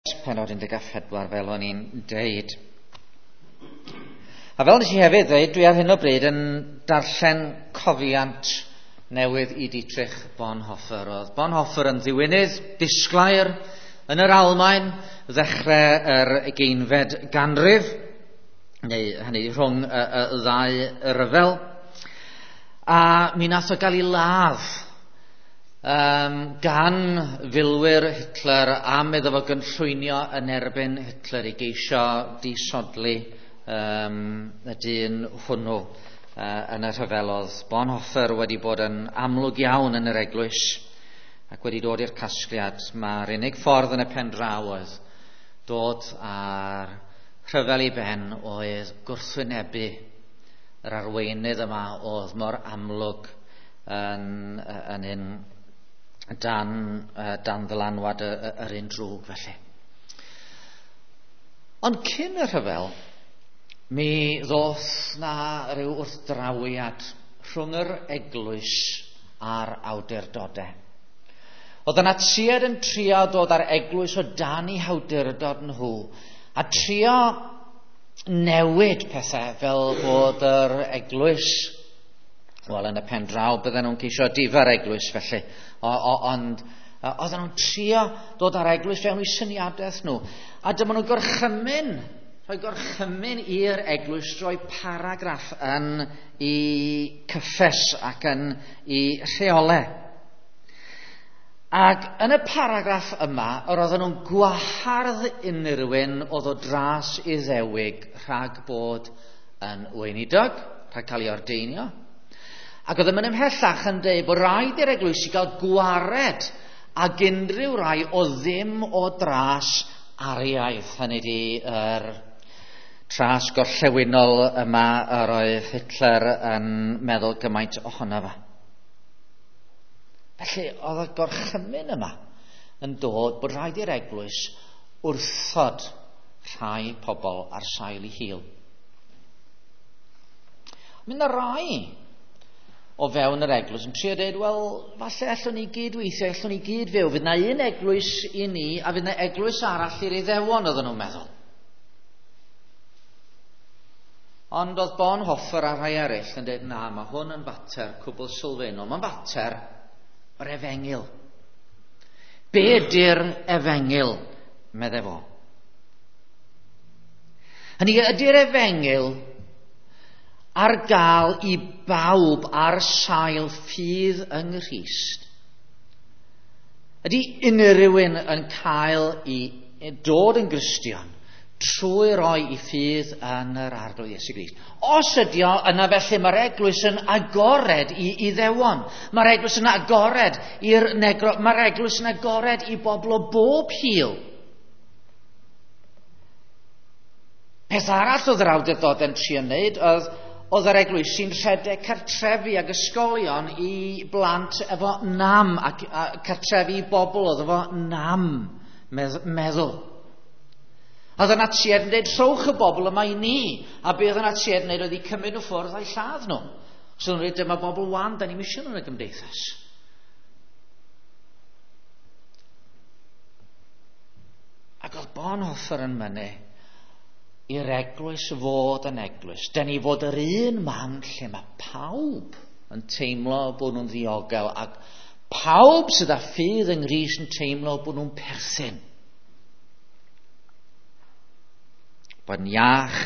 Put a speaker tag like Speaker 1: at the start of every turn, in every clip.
Speaker 1: Pennod 14 fel o'n i'n deud. A fel nes i hefyd ddeud, dwi ar hyn o bryd yn darllen cofiant newydd i Dietrich Bonhoeffer. Oedd Bonhoeffer yn ddiwinydd disglair yn yr Almaen ddechrau yr ugeinfed ganrif, neu hynny rhwng y, y, y ddau ryfel. A mi nath o gael ei ladd gan filwyr Hitler am iddo fo gynllwynio yn erbyn Hitler i geisio disodli y dyn hwnnw yn y rhyfel. Oedd Bonhoeffer wedi bod yn amlwg iawn yn yr eglwys ac wedi dod i'r casgliad mae'r unig ffordd yn y pen draw oedd dod â'r rhyfel i ben oedd gwrthwynebu yr arweinydd yma oedd mor amlwg yn, yn un dan, dan ddylanwad yr un drwg felly. Ond cyn y rhyfel, mi ddoth na rhyw wrthdrawiad rhwng yr eglwys a'r awdurdodau. Oedd y Natsiaid yn trio dod â'r eglwys o dan eu hawdurdod nhw a trio newid pethau fel bod yr eglwys, wel yn y pen draw bydden nhw'n ceisio difa'r eglwys felly, o, o, ond oedden nhw'n trio dod â'r eglwys fewn i syniadaeth nhw. A dyma nhw'n gorchymyn, rhoi gorchymyn i'r eglwys droi paragraff yn i cyffes ac yn i rheolau. Ac yn y paragraff yma, yr oedden nhw'n gwahardd unrhyw un oedd o dras Iddewig rhag bod yn weinidog, rhag cael ei ordeinio. Ac oedd yn mynd ymhellach yn dweud bod rhaid i'r eglwysi gael gwared ag unrhyw rai o ddim o dras Ariaidd. Hynny ydi yr tras gorllewinol yma yr oedd Hitler yn meddwl gymaint ohono fo. Felly oedd y gorchymyn yma yn dod bod rhaid i'r eglwys wrthod rhai pobl ar sail eu hil. Mi yna rai o fewn yr eglwys yn trio dweud, wel, falle allwn ni gyd weithio, allwn ni gyd fyw. Fydd na un eglwys i ni, a fydd na eglwys arall i'r Iddewon, oedden nhw'n meddwl. Ond oedd Bonhoeffer a rhai eraill yn dweud, na, mae hwn yn fater cwbl sylfaenol. Mae'n fater yr efengyl. Be ydy'r efengyl, medde fo? Hynny ydy'r efengyl ar gael i bawb ar sail ffydd yng Nghrist? Ydy unrhyw un yn cael i dod yn Gristion trwy roi i ffydd yn yr Arglwydd Iesu Grist? Os ydy o, yna felly mae'r eglwys yn agored i Iddewon. Mae'r eglwys yn agored i'r negro. Mae'r eglwys yn agored i bobl o bob hil. Peth arall oedd yr awdurdod yn trio wneud oedd oedd yr eglwysi'n rhedeg cartrefi ag ysgolion i blant efo nam ac a cartrefi i bobl oedd efo nam meddwl. Oedd y Natsiaid yn dweud, rhowch y bobl yma i ni. A be oedd y Natsiaid yn dweud oedd i cymryd nhw ffwrdd a'i lladd nhw. So nhw'n dweud, dyma bobl wan, da ni'n misio nhw yn y gymdeithas. Ac oedd Bonhoeffer yn mynnu i'r eglwys fod yn eglwys. Da ni fod yr un man lle mae pawb yn teimlo bod nhw'n ddiogel ac pawb sydd â ffydd yng Nghrist yn teimlo bod nhw'n perthyn. Bod yn iach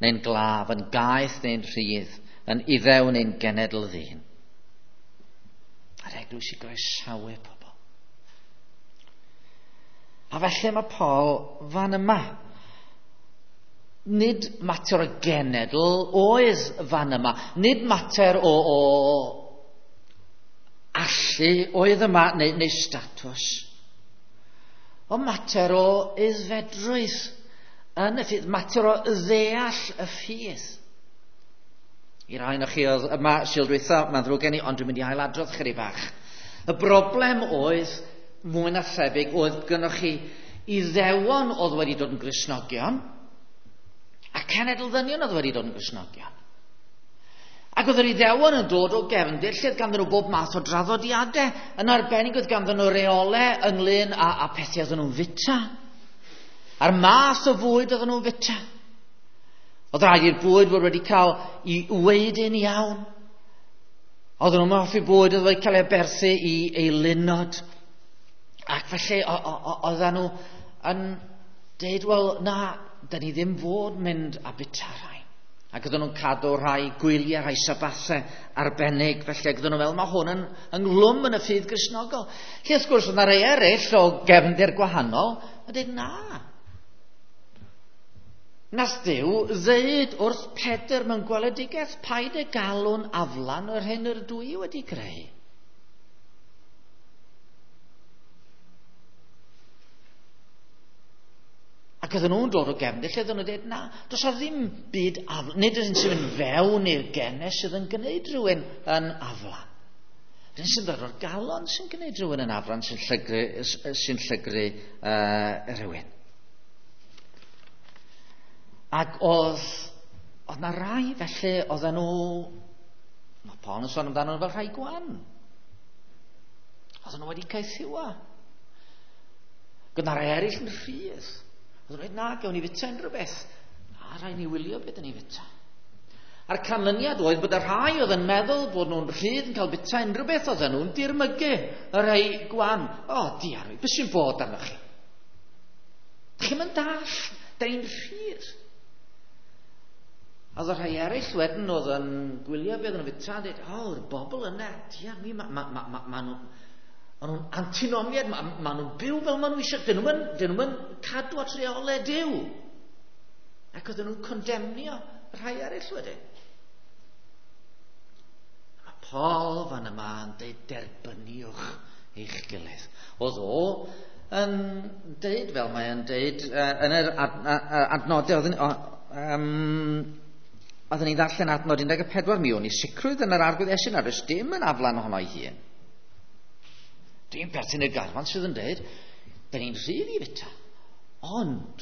Speaker 1: neu'n glaf, yn gaeth neu'n rhydd, yn Iddew neu'n genedl ddyn. A'r eglwys i groesawu pobl. A felly mae Paul fan yma. Nid mater o genedl oedd fan yma. Nid mater o, o allu oedd yma neu, neu statws. O mater o aeddfedrwydd yn y ffydd. Mater o ddeall y ffydd. I rai ohonoch chi oedd yma Sul dwytha, mae'n ddrwg gen i, ond dwi'n mynd i ailadrodd chydig bach. Y broblem oedd, mwy na thebyg, oedd gynnwch chi Iddewon oedd wedi dod yn Gristnogion, a cenedl ddynion oedd wedi dod yn Gristnogion. Ac oedd yr Iddewon yn dod o gefndir lle oedd ganddyn nhw bob math o draddodiadau. Yn arbennig oedd ganddyn nhw reolau ynglyn â, â pethau oedden nhw'n fita. A'r math o fwyd oedden nhw'n fita. Oedd rhaid i'r bwyd fod wedi cael ei weidyn iawn. Oedden nhw'n hoffi bwyd oedd wedi cael ei aberthu i eilunod. Ac felly oedden nhw yn deud, wel na, da ni ddim fod mynd a bita rhai. Ac oedden nhw'n cadw rhai gwyliau, rhai sabathau arbennig. Felly ac oedden nhw'n meddwl, mae hwn yn ynghlwm yn y ffydd Gristnogol. Lle wrth gwrs, oedd yna rhai eraill o gefndir gwahanol yn dweud, na. Nath Duw ddeud wrth Pedr mewn gweledigaeth, paid y galw'n aflan yr hyn yr ydw i wedi greu. Ac oedden nhw'n dod o gefndir lle oedden nhw'n dweud, na, does a ddim byd aflan. Nid ydyn sy'n mynd fewn i'r genau sydd yn gwneud rhywun yn aflan. Rhywun sy'n dod o'r galon sy'n gwneud rhywun yn aflan, sy'n llygru, sy llygru rhywun. Ac oedd na rai felly, oedden nhw, mae Paul yn sôn amdano nhw fel rhai gwan. Oedden nhw wedi caethiwa. Gyda rai eraill yn rhydd. Oedden nhw'n dweud, na, gewn ni fita unrhyw beth. A rhaid ni wylio beth ni fita. A'r canlyniad oedd bod y rhai oedd yn meddwl bod nhw'n rhydd yn cael bita unrhyw beth, oedden nhw'n dirmygu y rhai gwan. O, diar, beth sy'n bod arnoch chi? Dych chi'm yn dallt, da ni'n rhydd. A oedd y rhai eraill wedyn oedd yn gwylio beth o'n fita yn dweud, o, yr bobl yna, diar mi, ma nhw'n antinomiad, ma nhw'n byw fel ma nhw eisiau, dyn nhw'n cadw at reolau Duw. Ac oedden nhw'n condemnio rhai eraill wedyn. Mae Paul fan yma yn dweud, derbyniwch eich gilydd. Oedd o yn dweud, fel mae'n dweud, yn yr adnodau, oedden ni'n ddarllen adnod 14, mi o'n i sicrwydd yn yr Arglwydd Iesu nad oes dim yn aflan ohono ei hun. Dwi'n perthyn i'r garfan sydd yn dweud, da ni'n rhydd i fita. Ond,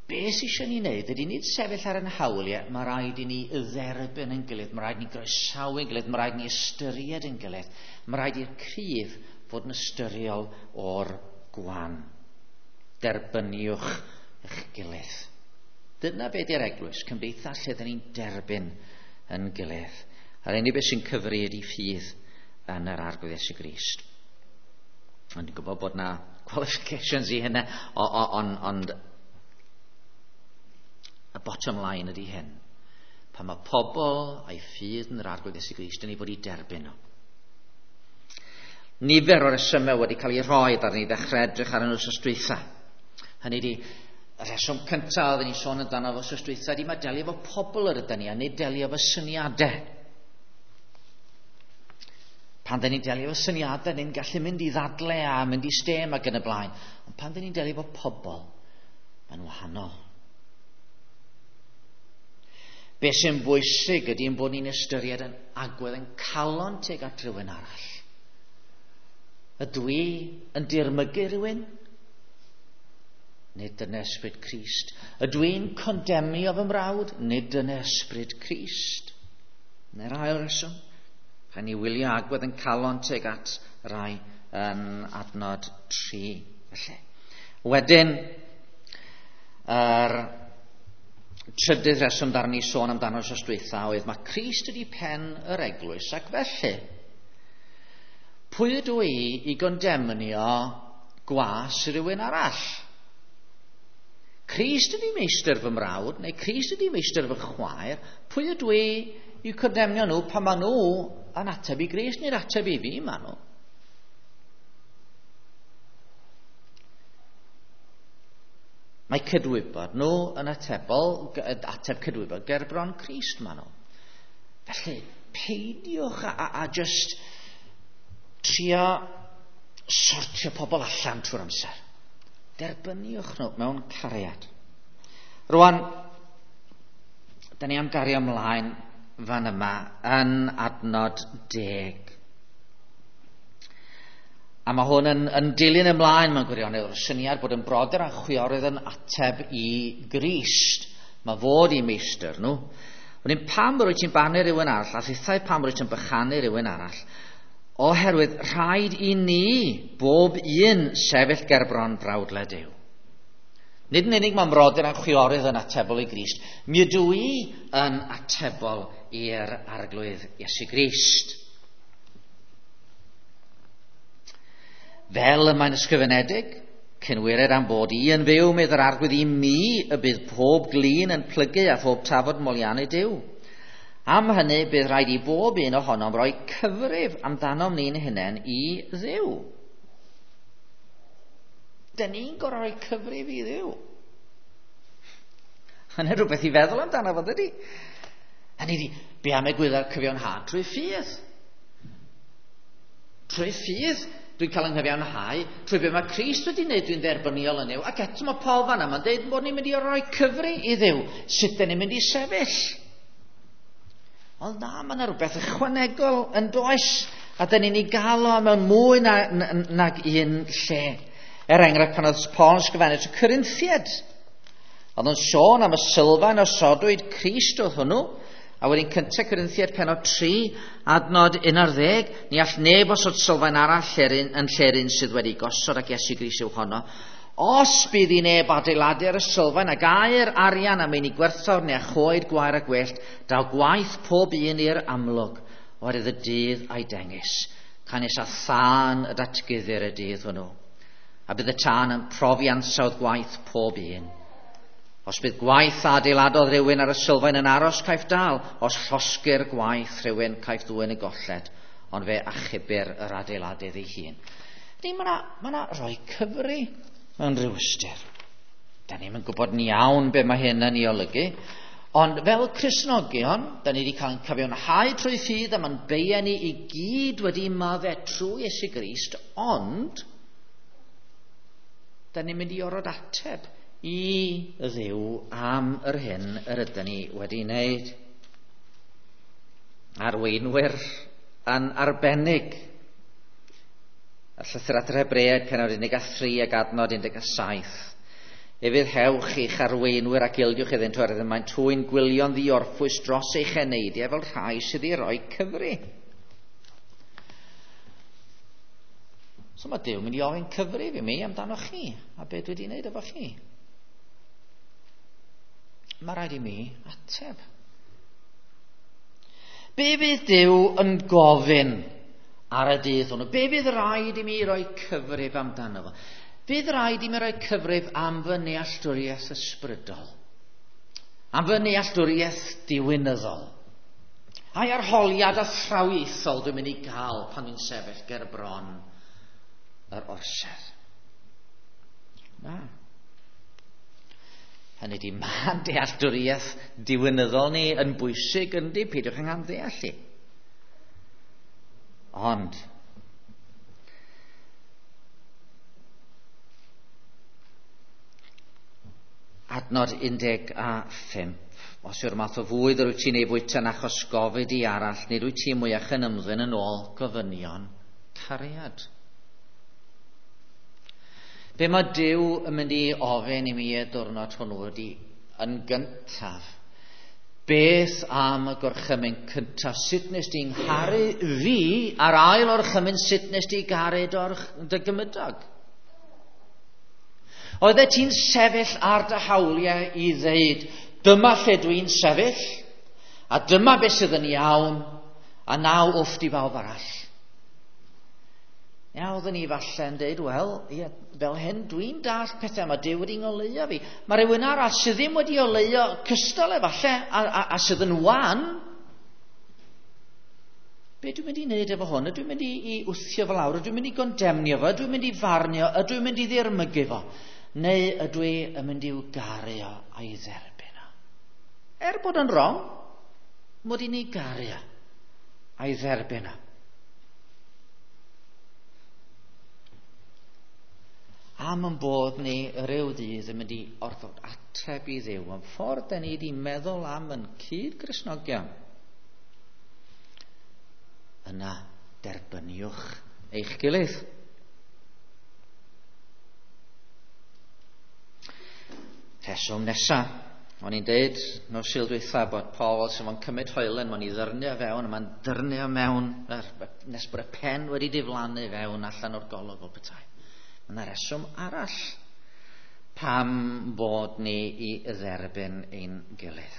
Speaker 1: be sydd eisiau ni wneud ydy nid sefyll ar ein hawliau, mae rhaid i ni dderbyn yn gilydd, mae rhaid i ni groesawu yn gilydd, mae rhaid i ni ystyried yn gilydd, mae rhaid i'r cryf fod yn ystyriol o'r gwan. Derbyniwch eich gilydd. Dyna be di'r eglwys, cymdeithas lle dyn ni'n derbyn yn gilydd. A'r unig beth sy'n cyfri ydy ffydd yn yr Arglwydd Iesu Grist. Ond dwi'n gwybod bod na qualifications i hynna, ond y bottom line ydy hyn. Pan mae pobl a'i ffydd yn yr Arglwydd Iesu Grist, dyn ni fod i derbyn nhw. Nifer o'r resymau wedi cael ei rhoi ar ni ddechrau edrych ar yn wythnos dwytha. Hynny ydy, y rheswm cyntaf oedden ni'n sôn amdano fo wythnos dwytha ydy mae delio efo pobl yr ydyn ni a nid delio efo syniadau. Pan dyn ni'n delio efo syniadau, ni'n gallu mynd i ddadle a mynd i stêm ac yn y blaen. Ond pan dyn ni'n delio efo pobl, mae'n wahanol. Be sy'n bwysig ydy ein bod ni'n ystyried yn agwedd yn calon tuag at rhywun arall. Ydw i yn dirmygu rhywun? Nid dyna ysbryd Crist. Ydw i'n condemnio fy mrawd? Nid dyna ysbryd Crist. Neu'r ail reswm. Rhaid ni wylio agwedd yn calon tuag at rai yn adnod 3. Felly. Wedyn, yr trydydd rheswm darn ni sôn amdano wythnos dwytha oedd mae Crist ydi pen yr eglwys, ac felly, pwy ydw i i gondemnio gwas rhywun arall? Crist ydi meistr fy mrawd, neu Crist ydi meistr fy chwaer, pwy ydw i i condemnio nhw pan maen nhw yn ateb i Grist, neu'r ateb i fi maen nhw? Mae cydwybod nhw yn atebol, ateb cydwybod gerbron Crist maen nhw. Felly, peidiwch a just trio sortio pobl allan trwy'r amser. Derbyniwch nhw mewn cariad. Rwan, da ni am gario ymlaen fan yma yn adnod 10. A mae hwn yn dilyn ymlaen mewn gwirionedd o'r syniad bod yn brodyr a chwiorydd yn ateb i Grist. Mae fod i meistr nhw. Wedyn pam rwyt ti'n barnu rhywun arall, a thithau pam rwyt ti'n bychanu rhywun arall, Oherwydd rhaid i ni bob un sefyll gerbron brawdle Duw. Nid yn unig mae mrodyr a'n chwiorydd yn atebol i Grist, mi ydw i yn atebol i'r Arglwydd Iesu Grist. Fel y mae'n ysgrifenedig, cynwired am bod i yn fyw, medd yr Arglwydd, i mi y bydd pob glin yn plygu a phob tafod moliannu Duw. Am hynny, bydd rhaid i bob un ohonom roi cyfrif amdanom ni'n hunain i Dduw. Dyn ni'n gorfod rhoi cyfrif i Dduw. Hynny rhywbeth i feddwl amdano fo, dydy? Hynny ydi, be am egwyddor cyfiawnhad trwy ffydd? Trwy ffydd, dwi'n cael yng nghyfiawnhau, trwy be mae Crist wedi wneud, dwi'n dderbyniol yn Nuw. Ac eto mae Paul fan'na, mae'n deud bod ni'n mynd i roi cyfri i Dduw. Sut dyn ni'n mynd i sefyll? Ond na, mae yna rhywbeth ychwanegol yn does, a dyn ni'n ei gael o mewn mwy na, nag un lle. Er enghraifft, pan oedd Paul yn ysgrifennu at y Corinthiaid, oedd o'n sôn am y sylfaen osodwyd Crist oedd hwnnw, a wedyn cyntaf Corinthiaid pennod 3, adnod 11, ni all neb osod sylfaen arall yn lle'r un sydd wedi gosod, ac Iesu Grist yw honno. Os bydd i neb adeiladu ar y sylfaen ag aur, arian a meini gwerthfawr neu a choed, gwair a gwellt, daw gwaith pob un i'r amlwg, oherwydd y dydd a'i dengys, canys a thân y datguddir y dydd hwnnw. A bydd y tân yn profi ansawdd gwaith pob un. Os bydd gwaith a adeiladodd rhywun ar y sylfaen yn aros, caiff dal. Os llosgir gwaith rhywun, caiff ddwyn y golled, ond fe achubir yr adeiladydd ei hun. Ni, mae yna ma rhoi cyfri mewn rhyw ystyr. Da ni'm yn gwybod yn iawn be mae hyn yn ei olygu, ond fel Cristnogion, da ni wedi cael ein cyfiawnhau trwy ffydd a mae'n beia ni i gyd wedi maddau trwy Iesu Grist, ond da ni'n mynd i orfod ateb i Dduw am yr hyn yr ydyn ni wedi wneud. Arweinwyr yn arbennig. Y llythyr at yr Hebreaid, pennod 13 ac adnod 17. Ufuddhewch i'ch arweinwyr ac ildiwch iddynt, oherwydd y maent hwy'n gwylio'n ddiorffwys dros eich eneidiau fel rhai sydd i roi cyfri. So mae Duw mynd i ofyn cyfrif i mi amdano chi, a be dwi wedi wneud efo chi. Mae rhaid i mi ateb. Be fydd Duw yn gofyn ar y dydd hwnnw? Be fydd rhaid i mi roi cyfrif amdano fo? Fydd rhaid i mi roi cyfrif am fy nealltwriaeth ysbrydol, am fy nealltwriaeth diwinyddol, a'i arholiad athrawiaethol dwi'n mynd i gael pan dwi'n sefyll ger bron yr orsedd. Na. Hynny di, mae dealltwriaeth diwinyddol ni yn bwysig yndi, peidiwch yn ddeall i. Ond adnod 15. Os yw'r math o fwyd yr wyt ti'n ei fwyta yn achos gofid i arall, nid wyt ti mwyach yn ymddwyn yn ôl gofynion cariad. Be mae Duw yn mynd i ofyn i mi y diwrnod hwnnw ydy, yn gyntaf, beth am y gorchymyn cyntaf? Sut nes di'n ngharu fi, a'r ail orchymyn, sut nes di garu dy gymydog? Oeddet ti'n sefyll ar dy hawliau i ddeud, dyma lle dwi'n sefyll, a dyma beth sydd yn iawn, a naw wfft i bawb arall. Ia, oeddwn ni falle yn deud, wel, ia, fel hyn, dwi'n dall pethau, mae Duw wedi ngoleuo fi. Mae rhywun arall sydd ddim wedi oleuo cystal efallai, a sydd yn wan. Be dwi'n mynd i wneud efo hwn? Ydw i'n mynd i wthio fo lawr? Ydw i'n mynd i gondemnio fo? Ydw i'n mynd i farnio? Ydw i'n mynd i ddirmygu fo? Neu ydw i yn mynd i'w garu o a'i dderbyn o? Er bod yn wrong, mod i'n ei garu o a'i dderbyn o. Am yn bod ni ryw ddydd yn mynd i orfod ateb i Dduw am ffordd da ni wedi meddwl am yn cyd-Gristnogion, yna derbyniwch eich gilydd. Rheswm nesa. O'n i'n deud nos Sul dwytha bod Paul sy'n fo'n cymryd hoelen, mae'n i ddyrnio fewn, a mae'n dyrnio mewn nes bod y pen wedi diflannu fewn allan o'r golwg o petai. Mae yna reswm arall pam bod ni i dderbyn ein gilydd.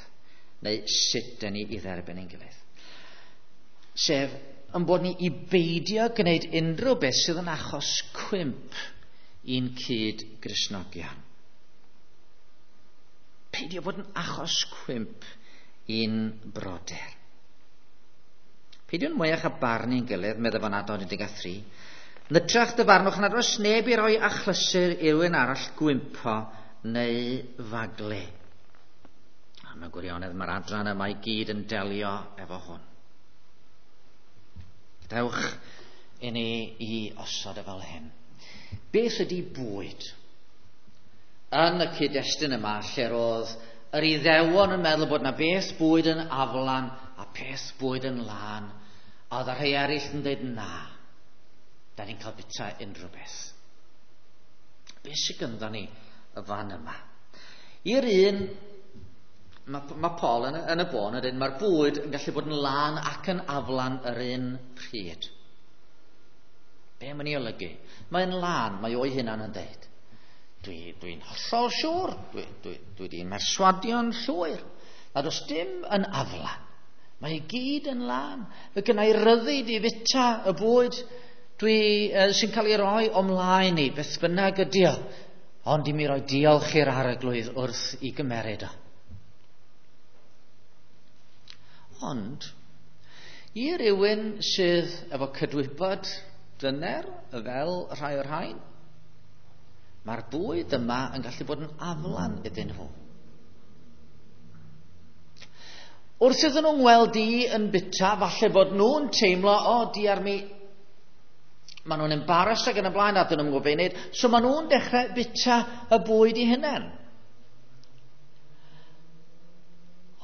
Speaker 1: Neu sut dyn ni i dderbyn ein gilydd. Sef, yn bod ni i beidio gwneud unrhyw beth sydd yn achos cwymp i'n cyd Gristnogion. Peidio bod yn achos cwymp i'n brodyr. Peidiwn mwyach a barnu'n gilydd, meddai fo'n adnod 13. Yn hytrach dyfarnwch nad oes neb i roi achlysur i rywun arall gwympo neu faglu. A mewn gwirionedd mae'r adran yma i gyd yn delio efo hwn. Dewch i ni i osod e fel hyn. Beth ydy bwyd? Yn y cyd-destun yma, lle roedd yr Iddewon yn meddwl bod yna beth bwyd yn aflan a peth bwyd yn lân, a oedd y rhai eraill yn dweud na, da ni'n cael bita unrhyw beth. Beth sydd gyda ni y fan yma? I'r un, mae Paul yn y bôn yn dweud, mae'r bwyd yn gallu bod yn lân ac yn aflan yr un pryd. Be mae'n ei olygu? Mae'n lân, mae o'i hunan yn dweud. Dwi'n hollol siŵr, dwi wedi merswadio'n llwyr, nad oes dim yn aflan. Mae i gyd yn lân. Fe gynna i ryddid i fita y bwyd sy'n cael ei roi o mlaen i, beth bynnag ydi o, ond i mi roi diolch i'r Arglwydd wrth i gymeryd o. Ond, i rywun sydd efo cydwybod dyner fel rhai o'r rhain, mae'r bwyd yma yn gallu bod yn aflan iddyn nhw. Wrth iddyn nhw'n weld i yn bita, falle bod nhw'n teimlo, o, diar mi, maen nhw'n embarrassed ac yn y blaen, a dyn nhw'n gwybod beth i wneud, so maen nhw'n dechrau bita y bwyd i hunain.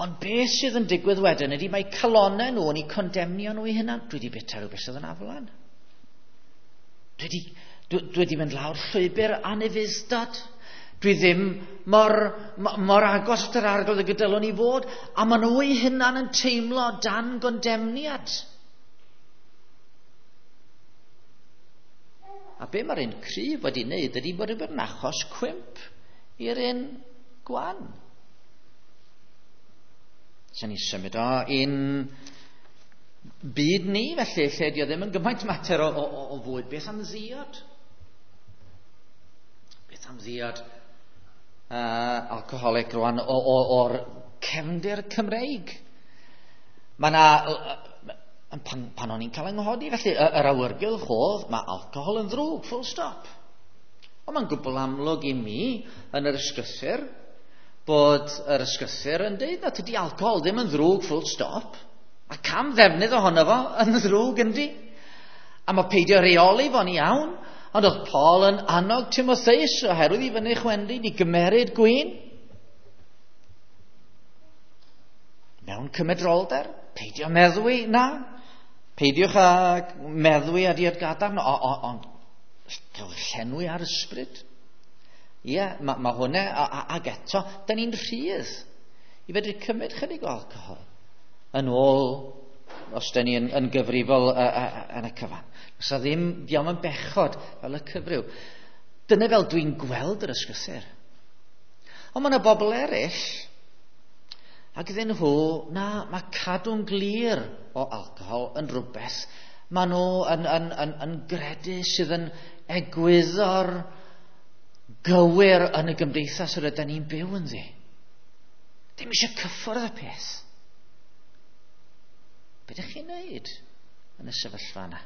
Speaker 1: Ond beth sydd yn digwydd wedyn ydy mae calonnau nhw yn eu condemnio nhw i hunain. Dwi wedi bita rhywbeth sydd yn aflan. Dwi wedi mynd lawr llwybr anufudd-dod. Dwi ddim mor agos at yr Arglwydd y gydylwn i fod. A maen nhw eu hunain yn teimlo dan gondemniad. A be mae'r un cryf wedi wneud ydy bod yn achos cwymp i'r un gwan. Sy'n ni symud o un byd ni felly, lle dio ddim yn gymaint mater o fwyd. Beth am ddiod? Beth am ddiod alcoholic rwan o'r cefndir Cymreig? Mae yna, pan o'n i'n cael yng nghodi felly, yr awyrgylch oedd, mae alcohol yn ddrwg, full stop. Ond mae'n gwbl amlwg i mi yn yr ysgrythur bod yr ysgrythur yn dweud na tydi alcohol ddim yn ddrwg, full stop. A cam ddefnydd ohono fo yn ddrwg yndi. A mae peidio reoli fo'n iawn. Ond oedd Paul yn annog Timotheus oherwydd i fyny chwendid i gymeryd gwin. Mewn cymedrolder, peidio meddwi, na. Peidiwch â meddwi a diod gadarn, ond cael llenwi ar ysbryd. Ie, mae hwnna, ag eto, da ni'n rhydd i fedru cymryd chydig o alcohol yn ôl os da ni yn gyfrifol yn y cyfan. Os a ddim, diolch yn bechod fel y cyfryw. Dyna fel dwi'n gweld yr ysgrythur. Ond mae yna bobl eraill, ac iddyn nhw, na, mae cadw'n glir o alcohol yn rhywbeth. Maen nhw yn gredu sydd yn egwyddor gywir yn y gymdeithas yr ydyn ni'n byw ynddi. Dim eisiau cyffwrdd y peth. Be ydych chi'n neud yn y sefyllfa yna?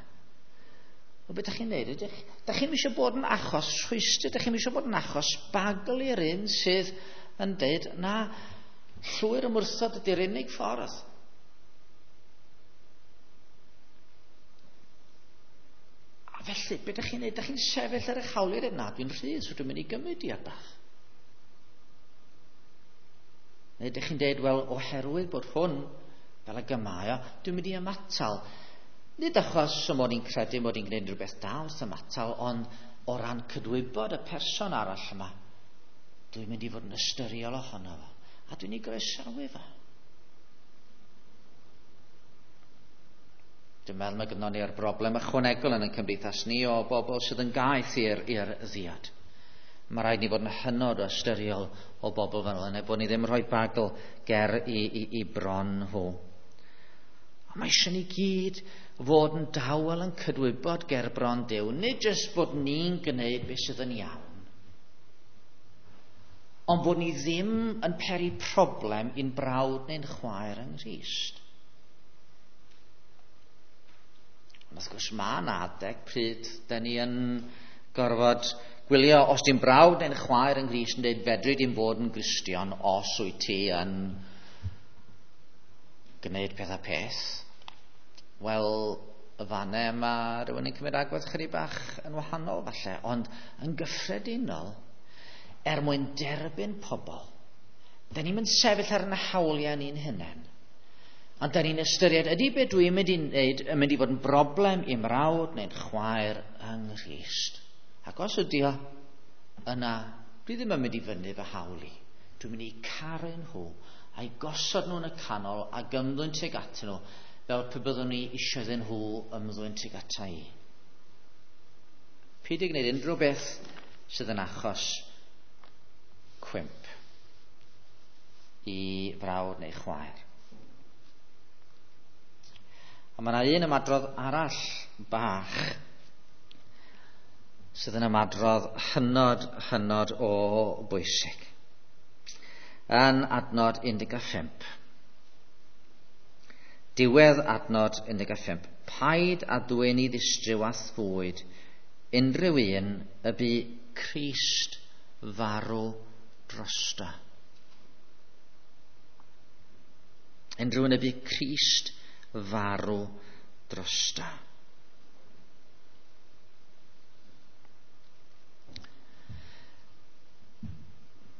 Speaker 1: O, be ydych chi'n neud? Ydych chi'n eisiau bod yn achos rhwystr? Ydych chi'n eisiau bod yn achos bagl i'r un sydd yn deud, na, llwyr ymwrthod ydy'r unig ffordd. A felly, be ydych chi'n neud? Ydych chi'n sefyll ar eich hawliau dweud, na, dwi'n rhydd, so dwi'n mynd i gymryd diod bach. Neu ydych chi'n deud, wel, oherwydd bod hwn fel y gymau, dwi'n mynd i ymatal. Nid achos mod i'n credu mod i'n gwneud rhywbeth da wrth ymatal, ond o ran cydwybod y person arall yma, dwi'n mynd i fod yn ystyriol ohono fo. A dwi'n ei groesawu fo. Dwi'n meddwl mae gynnon ni'r broblem ychwanegol yn ein cymdeithas ni o bobl sydd yn gaeth i'r ddiod. Mae rhaid ni fod yn hynod o ystyriol o bobl fel yna, bod ni ddim yn rhoi bagl ger i bron nhw. Ond mae eisiau ni gyd fod yn dawel yn cydwybod ger bron Duw, nid jyst bod ni'n gwneud beth sydd yn iawn, ond bod ni ddim yn peri problem i'n brawd neu'n chwaer yng Nghrist. Ond wrth gwrs mae yna adeg pryd da ni yn gorfod gwylio os di'n brawd neu'n chwaer yng Nghrist yn dweud fedri di'n fod yn Gristion os wyt ti yn gwneud peth a peth. Wel, y fanne mae rhywun yn cymryd agwedd chydig bach yn wahanol falle, ond yn gyffredinol, er mwyn derbyn pobl, da ni'n mynd sefyll ar yn hawliau ni'n hunain. Ond da ni'n ystyried, ydy be dwi'n mynd i wneud yn mynd i fod yn broblem i'm mrawd neu'n chwaer yng Nghrist? Ac os ydy o, yna, dwi ddim yn mynd i fyny fy hawl i. Dwi'n mynd i caru nhw a'i gosod nhw yn y canol ac ymddwyn tuag atyn nhw fel pe byddwn ni eisiau iddyn nhw ymddwyn tuag ata i. Peidio gwneud unrhyw beth sydd yn achos cwymp i frawd neu chwaer. A mae yna un ymadrodd arall bach sydd yn ymadrodd hynod, hynod o bwysig. Yn adnod 15. Diwedd adnod 15. Paid a dwyn i ddistryw a thfwyd unrhyw un y bu Crist farw drosto. Unrhyw un y bu Crist farw drosto.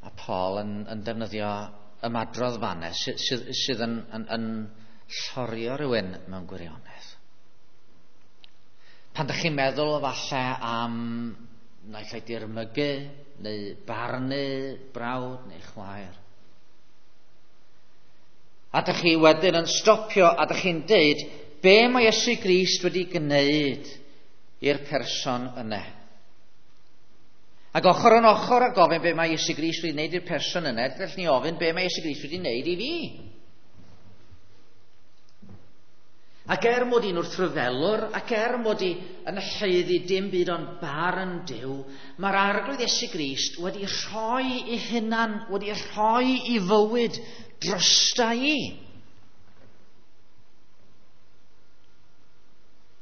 Speaker 1: A Paul yn defnyddio ymadrodd fanne sydd yn llorio rhywun mewn gwirionedd. Pan dych chi'n meddwl falle am naill ai dirmygu neu barnu brawd neu chwaer. A dych chi wedyn yn stopio a dych chi'n deud be mae Iesu Grist wedi gwneud i'r person yna. Ac ochr yn ochr a gofyn be mae Iesu Grist wedi gwneud i'r person yna, gallwn ni ofyn be mae Iesu Grist wedi gwneud i fi. Ac er mod i'n wrthryfelwr, ac er mod i yn haeddu dim byd ond barn Duw, mae'r Arglwydd Iesu Grist wedi rhoi ei hunan, wedi rhoi ei fywyd drosta i.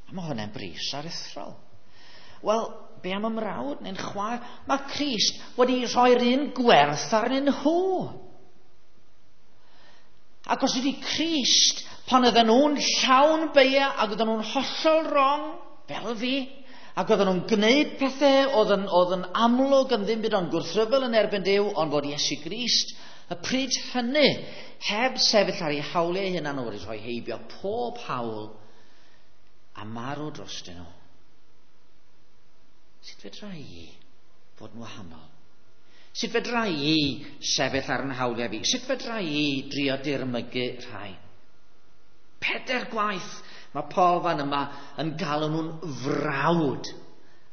Speaker 1: A mae hwnna'n bris aruthrol. Wel, be am ymrawd neu'n chwaer? Mae Crist wedi rhoi'r un gwerth arnyn nhw. Ac os ydy Crist, pan oedden nhw'n llawn beia ac oedden nhw'n hollol wrong, fel fi, ac oedden nhw'n gwneud pethau oedd yn amlwg yn ddim byd ond gwrthryfel yn erbyn Duw, ond fod Iesu Grist, y pryd hynny, heb sefyll ar ei hawliau ei hunan, wedi rhoi heibio pob hawl a marw drostyn nhw. Sut fedra i fod yn wahanol? Sut fedra i sefyll ar yn hawliau fi? Sut fedra i drio dirmygu rhai? 4 gwaith mae Paul fan yma yn galw nhw'n frawd.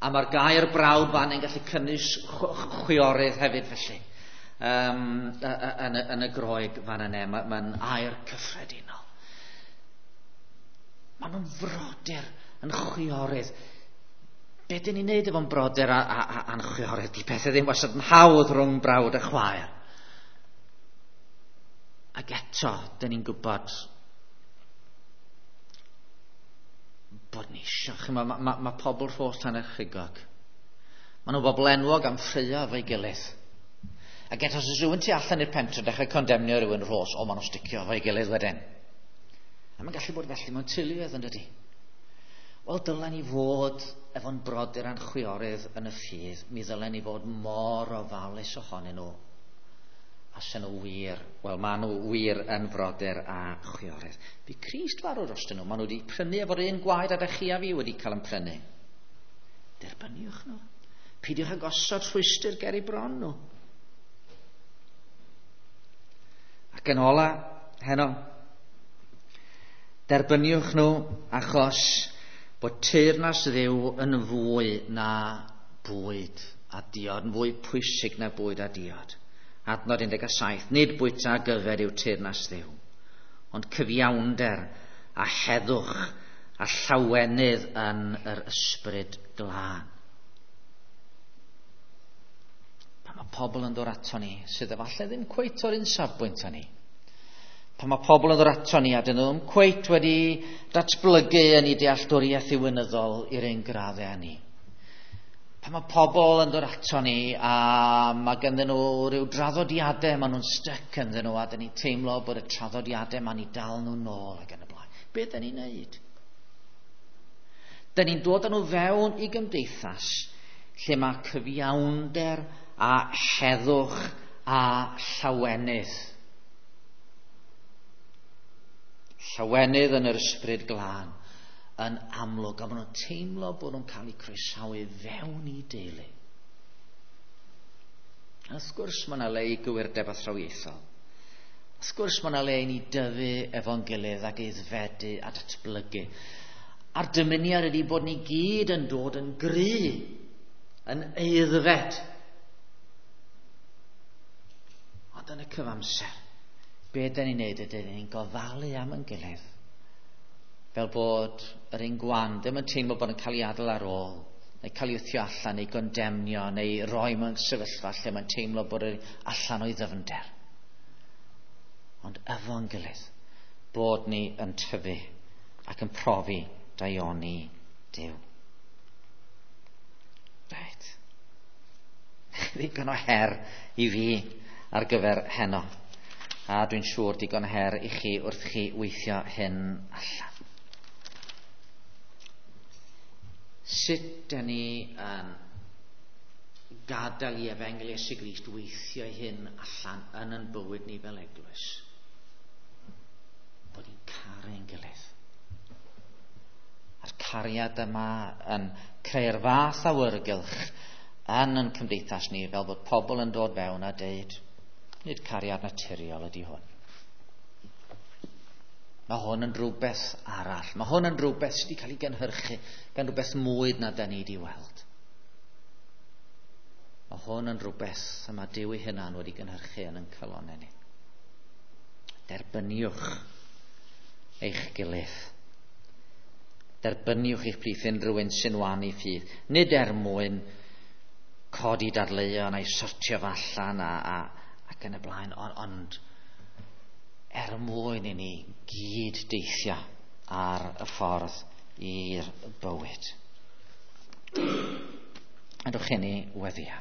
Speaker 1: A mae'r gair brawd fan yn gallu cynnwys chwiorydd hefyd felly. Yn y Groeg fan yna, mae'n air cyffredinol. Maen nhw'n frodyr yn chwiorydd. Be dyn ni'n neud efo'n brodyr a'n chwiorydd? Di pethau ddim wastad yn hawdd rhwng brawd a chwaer. Ac eto, dyn ni'n gwybod bod ni eisiau. Mae pobl Rhos Llannerchigog. Maen nhw'n bobl enwog am ffraeo efo'i gilydd. Ac eto, os oes rhywun tu allan i'r pentre dechrau condemnio rhywun Rhos, o, maen nhw'n sticio efo'i gilydd wedyn. A mae'n gallu bod felly mewn teuluoedd, yn dydi? Wel, dylen ni fod efo'n brodyr a'n chwiorydd yn y ffydd. Mi ddylen ni fod mor ofalus ohonyn nhw. A sy'n nhw wir, wel, maen nhw wir yn frodyr a chwiorydd. Bu Crist farw drostyn nhw. Maen nhw wedi prynu efo'r un gwaed a dych chi a fi wedi cael yn prynu. Derbyniwch nhw. Peidiwch â gosod rhwystr ger eu bron nhw. Ac yn ola, heno, derbyniwch nhw achos bod teyrnas Dduw yn fwy na bwyd a diod, yn fwy pwysig na bwyd a diod. Adnod 17, nid bwyta a gyfer yw teyrnas Dduw, ond cyfiawnder a heddwch a llawenydd yn yr ysbryd glân. Pan mae pobl yn dod ato ni, sydd efallai ddim cweit o'r un safbwynt â ni, pan mae pobl yn dod ato ni a dyn nhw ddim cweit wedi datblygu yn eu dealltwriaeth ddiwinyddol i'r un graddau â ni. Pan mae pobl yn dod ato ni a mae ganddyn nhw rhyw draddodiadau, maen nhw'n styc ynddyn nhw a dyn ni'n teimlo bod y traddodiadau ma'n i dal nhw nôl ac yn y blaen. Be dyn ni'n neud? Dyn ni'n dod â nhw fewn i gymdeithas lle mae cyfiawnder a heddwch a llawenydd. Llawenydd yn yr ysbryd glân yn amlwg, a maen nhw'n teimlo bod nhw'n cael eu croesawu fewn i deulu. A wrth gwrs mae yna le i gywirdeb athrawiaethol. Wrth gwrs mae yna le i ni dyfu efo'n gilydd ac aeddfedu a datblygu. A'r dymuniad ydy bod ni gyd yn dod yn gry, yn aeddfed. Ond yn y cyfamser, be dyn ni'n neud ydy ni'n gofalu am yn gilydd. Fel bod yr un gwan ddim yn teimlo bod yn cael ei adael ar ôl, neu cael ei wthio allan, neu gondemnio, neu roi mewn sefyllfa lle mae'n teimlo bod yr allan o'i ddyfnder. Ond efo'n gilydd, bod ni yn tyfu ac yn profi daioni Duw. Reit. Ddigon o her i fi ar gyfer heno. A dwi'n siŵr digon o her i chi wrth chi weithio hyn allan. Sut dyn ni yn gadael i Efengyl Iesu Grist weithio hyn allan yn yn bywyd ni fel eglwys? Bod ni'n caru'n gilydd. A'r cariad yma yn creu'r fath awyrgylch yn yn cymdeithas ni fel bod pobl yn dod fewn a deud, nid cariad naturiol ydy hwn. Mae hwn yn rhywbeth arall. Mae hwn yn rhywbeth sydd wedi cael ei gynhyrchu gan rhywbeth mwy na da ni wedi weld. Mae hwn yn rhywbeth y mae Duw ei hunan wedi gynhyrchu yn ein calonnau ni. Derbyniwch eich gilydd. Derbyniwch eich plith unrhyw un sy'n wan i ffydd. Nid er mwyn codi dadleuon a'i sortio fo allan ac yn y blaen, ond er mwyn i ni gyd deithio ar y ffordd i'r bywyd. Ydwch chi ni weddia.